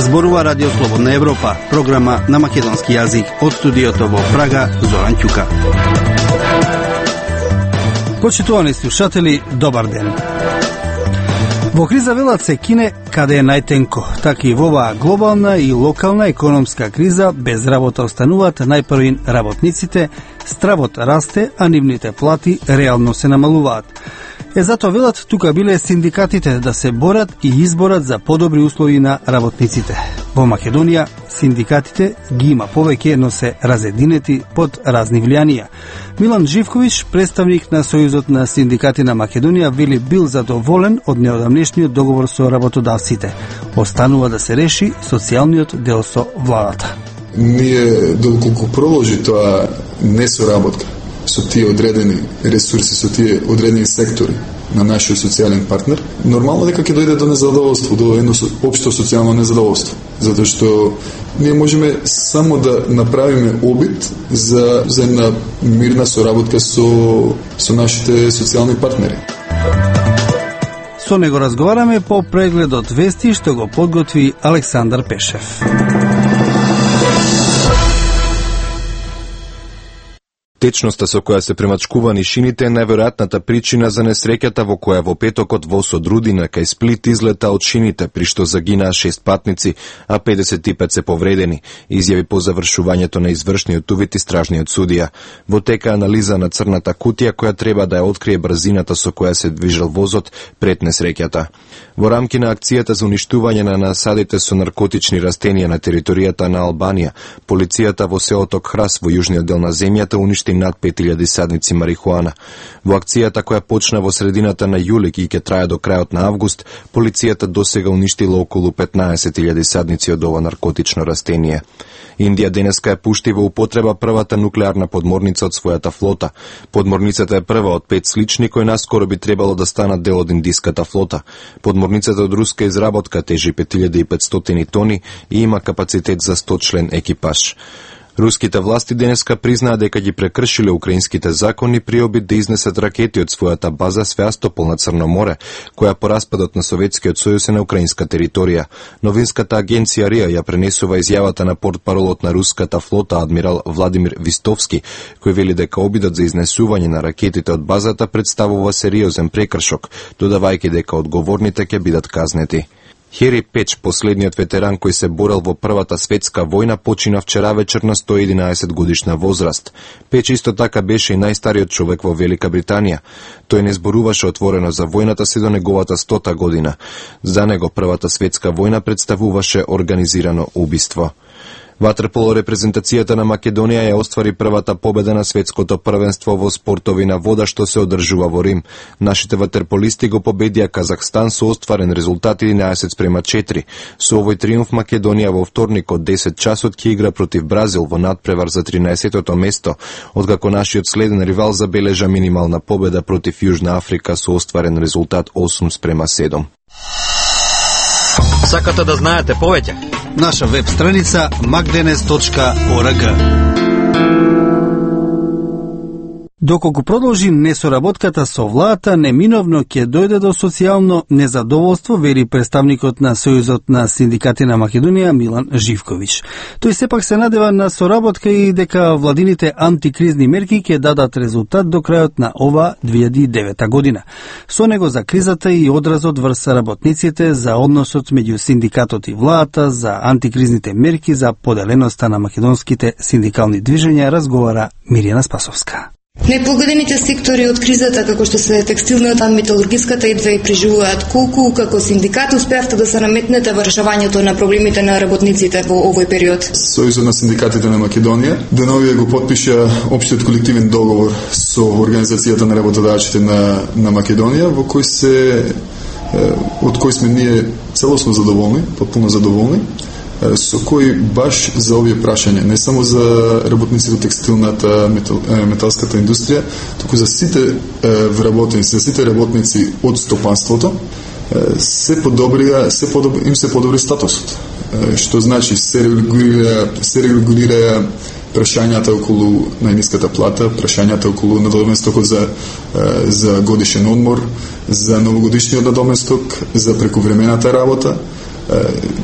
Зборува Радио Слободна Европа, програма на македонски јазик од студиото во Прага, Зоран Ќука. Почитувани слушатели, добар ден. Во криза велат се кине каде е најтенко, така и во оваа глобална и локална економска криза без работа остануваат најпрвин работниците, стравот расте, а нивните плати реално се намалуваат. Затоа велат тука биле синдикатите да се борат и изборат за подобри услови на работниците. Во Македонија синдикатите ги има повеќе, но се разединети под разни влијанија. Милан Живковиќ, представник на Сојузот на синдикати на Македонија, вели бил задоволен од неодамнешниот договор со работодавците. Останува да се реши социјалниот дел со владата. Ние, доколку продолжи тоа несоработка со тие одредени ресурси, со тие одредени сектори на нашиот социјален партнер, нормално дека ќе дојде до незадоволство, до едно општо социјално незадоволство. Затоа што ние можеме само да направиме обид за една мирна соработка со нашите социјални партнери. Со него разговараме по прегледот вести што го подготви Александар Пешев. Течноста со која се премачкувани шините е најверојатната причина за несреќата во која во петокот воз од Рудина кај Сплит излета од шините, при што загинаа 6 патници, а 55 се повредени, изјави по завршувањето на извршниот увид истражниот судија. Во тека анализа на црната кутија која треба да ја открие брзината со која се движел возот пред несреќата. Во рамки на акцијата за уништување на насадите со наркотични растенија на територијата на Албанија, полицијата во селото Храс во јужниот дел на земјата уништи над 5000 садници марихуана. Во акцијата која почна во средината на јули и ќе трае до крајот на август, полицијата досега уништила околу 15.000 садници од ова наркотично растение. Индија денеска ја пушти во употреба првата нуклеарна подморница од својата флота. Подморницата е прва од 5 слични кои наскоро би требало да станат дел од индиската флота. Подморницата од руска изработка тежи 5500 тони и има капацитет за 100 член екипаж. Руските власти денеска признаа дека ги прекршиле украинските закони при обид да изнесат ракети од својата база Свеастопол на Црно море, која по распадот на Советскиот сојуз е на украинска територија. Новинската агенција РИА ја пренесува изјавата на портпаролот на руската флота адмирал Владимир Вистовски, кој вели дека обидот за изнесување на ракетите од базата представува сериозен прекршок, додавајќи дека одговорните ќе бидат казнети. Хери Печ, последниот ветеран кој се борел во Првата светска војна, почина вчера вечер на 111 годишна возраст. Печ исто така беше и најстариот човек во Велика Британија. Тој не зборуваше отворено за војната се до неговата 100-та година. За него Првата светска војна представуваше организирано убиство. Ватерполо репрезентацијата на Македонија ја оствари првата победа на светското првенство во спортови на вода што се одржува во Рим. Нашите ватерполисти го победија Казахстан со остварен резултат 11:4. Со овој триумф Македонија во вторник од 10 часот ќе игра против Бразил во надпревар за 13-тото место, откако нашиот следен ривал забележа минимална победа против Јужна Африка со остварен резултат 8:7. Сакате да знаете повеќе? Наша веб страница magdenes.org. Доколку продолжи несоработката со владата, неминовно ќе дојде до социјално незадоволство, вери представникот на Сојузот на синдикати на Македонија Милан Живковиќ. Тој сепак се надева на соработка и дека владините антикризни мерки ќе дадат резултат до крајот на ова 2009 година. Со него за кризата и одразот врз работниците, за односот меѓу синдикатот и владата, за антикризните мерки, за поделеноста на македонските синдикални движења разговара Мирјана Спасовска. Најпогодените сектори од кризата, како што се текстилната, металургиската, едва и преживуваат. Колку како синдикат успеавте да се наметнете во решавањето на проблемите на работниците во овој период? Сојузот на синдикатите на Македонија деновија го потпиша општиот колективен договор со Организацијата на работодавците на Македонија, во кој од кој сме ние целосно задоволни, потпуно задоволни, со кој баш за овие прашања, не само за работниците текстилната, металската индустрија, туку за сите вработеници, за сите работници од стопанството, им се подобри статусот. Што значи се регулира прашањата околу најниската плата, прашањата околу надоместокот за годишен одмор, за новогодишниот надоместок, за прековремената работа.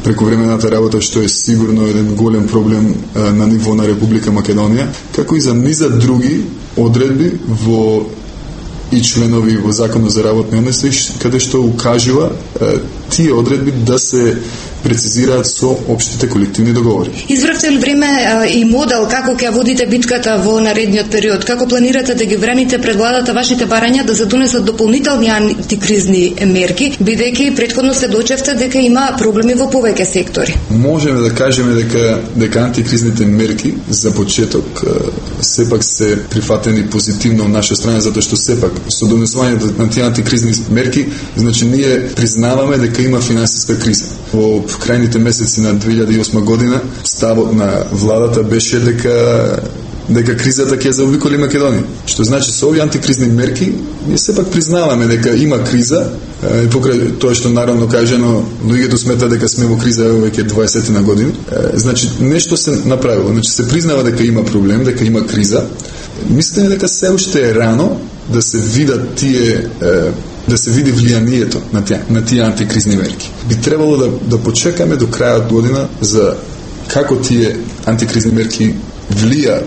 Прековремената работа што е сигурно еден голем проблем на ниво на Република Македонија, како и за низа други одредби во и членови во Законот за работни односи, каде што укажува тие одредби да се прецизираат со општите колективни договори. Избравте ли време и модел како ќе водите битката во наредниот период? Како планирате да ги браните пред владата вашите барања да се донесат дополнителни антикризни мерки, бидејќи претходно сведочевте дека има проблеми во повеќе сектори? Можеме да кажеме дека антикризните мерки за почеток сепак се прифатени позитивно од наша страна, затоа што сепак со донесувањето на тие антикризни мерки, значи ние признаваме дека има финансиска криза. Во крајните месеци на 2008 година ставот на владата беше дека кризата ќе заобиколи Македонија. Што значи со овие антикризни мерки ние сепак признаваме дека има криза, покрај тоа што наравно кажано луѓето смета дека сме во криза веќе 20 на години. Значи нешто се направило, значи се признава дека има проблем, дека има криза. Мислите дека се уште е рано да се видат тие да се види влијанието на тие антикризни мерки. Би требало да почекаме до крајот година за како тие антикризни мерки влијаат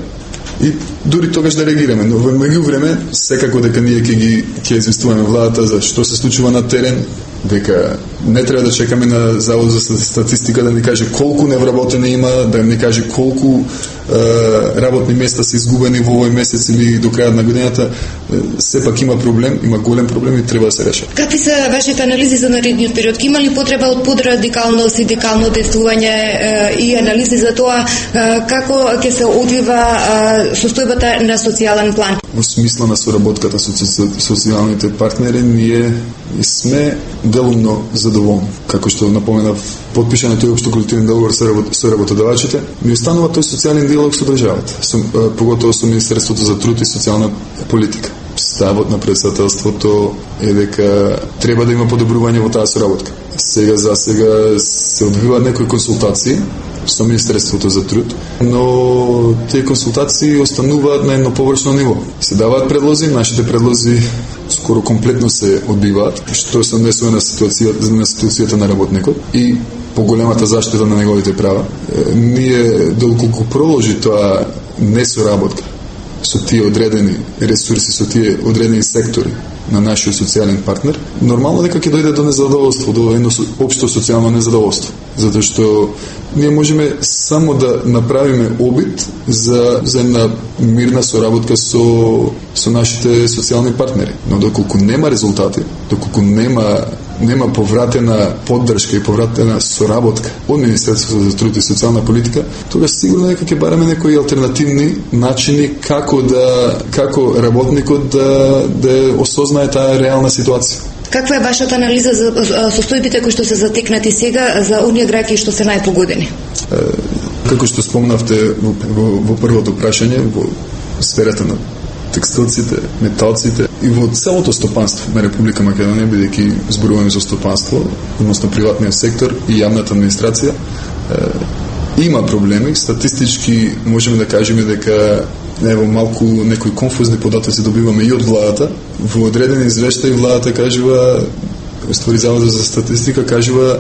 и дури тогаш да реагираме. Но во меѓувреме секако дека ние ќе известуваме владата за што се случува на терен, дека не треба да чекаме на Завод за статистика да ни каже колку невработени има, да ни каже колку работни места се изгубени во овој месец или до крајот на годината. Сепак има проблем, има голем проблем и треба да се реши. Какви се вашите анализи за наредниот период? Има ли потреба од подрадикално синдикално действување и анализи за тоа како ќе се одвива состојбата на социјален план? Во смисла на соработката со социјалните партнери ние сме делумно задоволни. Како што напоменав, потпишан тој општо колективен договор со работодавачите, ми останува тој социјален диалог со државата, поготово со Министерството за труд и социјална политика. Ставот на претседателството е дека треба да има подобрување во таа соработка. Сега се одвиваат некои консултации со Министерството за труд, но тие консултации остануваат на едно површно ниво. Се даваат предлози, нашите предлози скоро комплетно се одбиваат, што се однесува на ситуацијата на работникот и поголемата заштита на неговите права. Ние доколку продолжи тоа несоработка со тие одредени ресурси, со тие одредени сектори на нашиот социјален партнер, нормално дека ќе дојде до незадоволство, до едно општо социјално незадоволство. Затоа што ние можеме само да направиме обид за една мирна соработка со нашите социјални партнери. Но доколку нема резултати, доколку нема повратена поддршка и повратена соработка од Министерството за труд и социјална политика, тогаш сигурно дека ќе бараме некои алтернативни начини како работникот да осознае таа реална ситуација. Каква е вашата анализа за состојбите кои што се затекнати сега за оние граѓани што се најпогодени? Како што спомнавте во првото прашање, во сферата на текстилците, металците и во целото стопанство на Република Македонија, бидејќи зборуваме за стопанство, односно приватниот сектор и јавната администрација, има проблеми. Статистички можеме да кажеме дека ево малку некои конфузни податоци добиваме и од владата. Во одредени извештаи владата кажува, створи Заводот за статистика кажува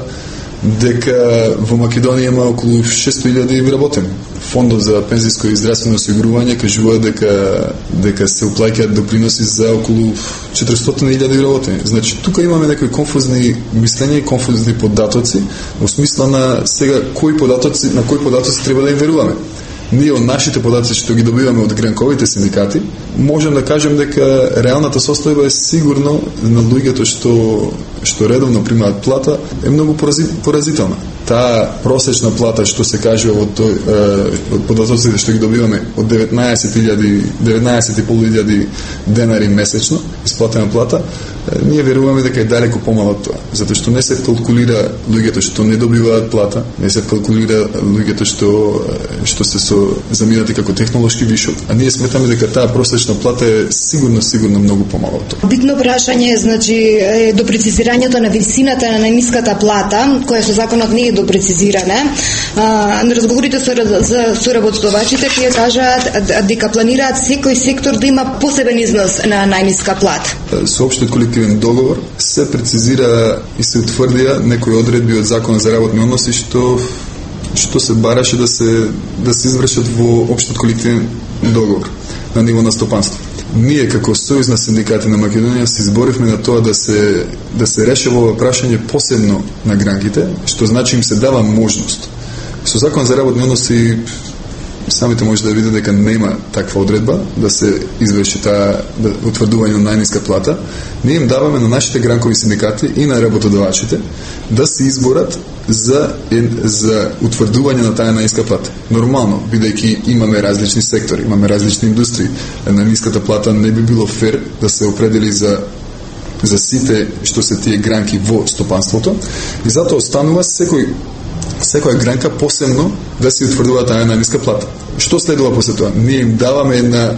дека во Македонија има околу 600.000 вработени. Фондот за пензиско и здравствено осигурување кажува дека се уплаќаат доприноси за околу 400.000 вработени. Значи тука имаме некои конфузни мислења и конфузни податоци во смисла на сега на кои податоци треба да им веруваме. Ние од нашите податоци што ги добиваме од гранковите синдикати, можем да кажем дека реалната состојба е сигурно на луѓето што редовно примаат плата е многу поразителна. Таа просечна плата што се кажува од податоците што ги добиваме од 19.500 денари месечно исплатена плата, ние веруваме дека е далеку помало од тоа, затоа што не се калкулира луѓето што не добиваат плата, не се калкулира луѓето што се заминати како технолошки вишок, а ние сметаме дека таа просечна плата е сигурно многу помало од тоа. Битно прашање е, значи, до прецизирањето на висината на најниската плата, која со законот не е допрецизирана. На разговорите со работодавачите тие кажаат дека планираат секој сектор да има посебен износ на најниска плата. Со општиот колективен договор се прецизира и се утврдија некои одредби од Законот за работни односи што се бараше да се извршат во општиот колективен договор на ниво на стопанство. Ние како Сојуз на синдикати на Македонија се изборивме на тоа да се решава ова прашање посебно на гранките, што значи им се дава можност. Со Закон за работни односи самите може да видите дека нема таква одредба да се изврши таа утврдување на најниска плата. Ние им даваме на нашите гранкови синдикати и на работодавачите да се изборат за утврдување на таа најниска плата. Нормално, бидејќи имаме различни сектори, имаме различни индустрии, најниската плата не би било фер да се определи за сите што се тие гранки во стопанството, и затоа останува секоја гранка посебно да се утврдува таа најниска плата. Што следува после тоа? Ние им даваме една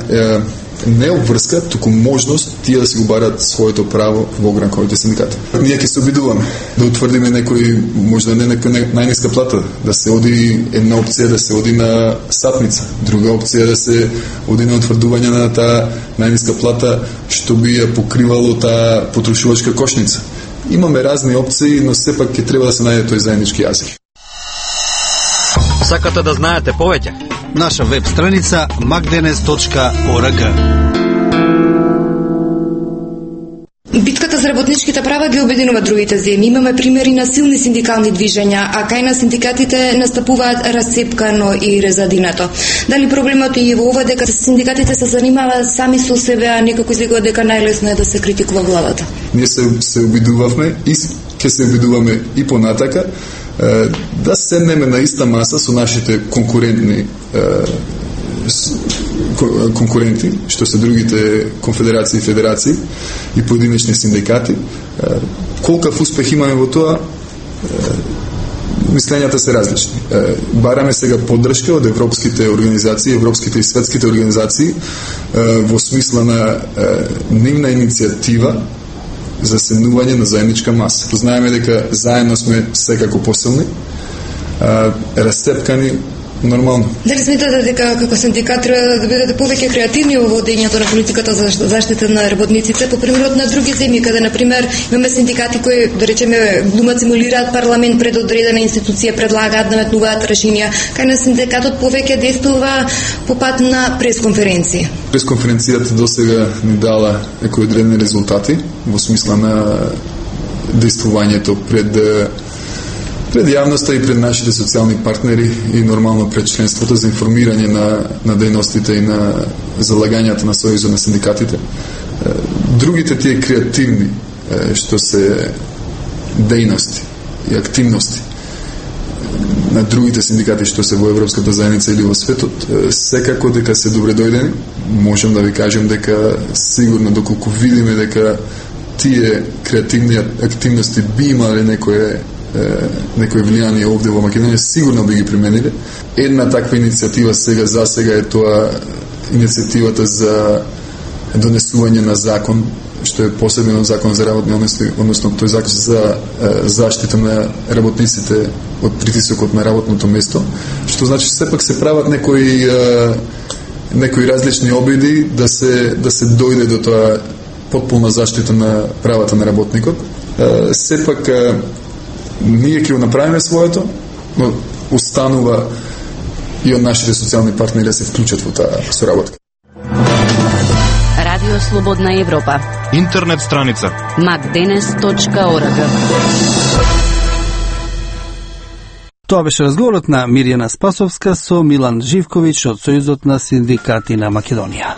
не обврска, туку можност тие да си го барат своето право во гранковите синдикати. Ние ќе се обидуваме да утврдиме некој, можда не некој најниска плата, да се оди една опција да се оди на сатница, друга опција да се оди на утврдување на таа најниска плата што би ја покривало таа потрошувачка кошница. Имаме разни опции, но сепак ќе треба да се најде тој заеднички јазик. Сакате да знаете повеќе? Наша веб страница macdenes.org. Битката за работничките права ги обединува другите земји. Имаме примери на силни синдикални движења, а кај на синдикатите настапуваат расцепкано и резадинато. Дали проблемот е во ова дека синдикатите се занимаваат сами со себе, а некако излегува дека најлесно е да се критикува владата? Ние се обидувавме и ќе се обидуваме и понатака да седнеме на иста маса со нашите конкуренти, што се другите конфедерации и федерации и поединечни синдикати. Колкав успех имаме во тоа, мислењата се различни. Бараме сега поддршка од европските организации, европските и светските организации во смисла на нивна иницијатива за седнување на заедничка маса. Знаеме дека заедно сме секако посилни, расцепкани нормално. Дали сметате дека како синдикат треба да бидете повеќе креативни во водењето на политиката за заштита на работниците, по примерот на други земји, каде на пример имаме синдикати кои, да речеме, глумат, симулираат парламент пред одредена институција, предлагаат, наметнуваат решенија, кај на синдикатот повеќе действува по пат на пресконференции. Пресконференцијата досега ни дала некои одредени резултати во смисла на действувањето пред јавноста и пред нашите социјални партнери и нормално пред членството за информирање на дејностите и на залагањата на Сојузот на синдикатите. Другите тие креативни што се дејности и активности на другите синдикати што се во Европската заедница или во светот, секако дека се добре дојдени. Можам да ви кажем дека сигурно доколку видиме дека тие креативни активности би имале некој влијание овде во Македонија, сигурно би ги примениле. Една таква иницијатива за сега е тоа иницијативата за донесување на закон, што е посебен закон за работни односи, односно тој закон за заштита на работниците од притисокот на работното место, што значи сепак се прават некои различни обиди да се дојде до тоа потполна заштита на правата на работникот. Сепак ние ќе го направиме своето, но останува и од нашите социјални партнери да се вклучат во таа соработка. Радио Слободна Европа. Интернет страница macdenes.org. Тоа беше разговорот на Мирјана Спасовска со Милан Живковиќ од Сојузот на синдикати на Македонија.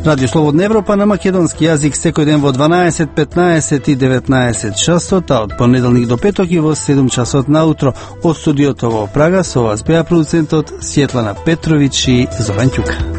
Радио Слободна Европа на македонски јазик секој ден во 12, 15 и 19 часот, а од понеделник до петок и во 7 часот наутро. Од студиото во Прага со вас беа продуцентот Сјетлана Петровиќ и Зован Ќука.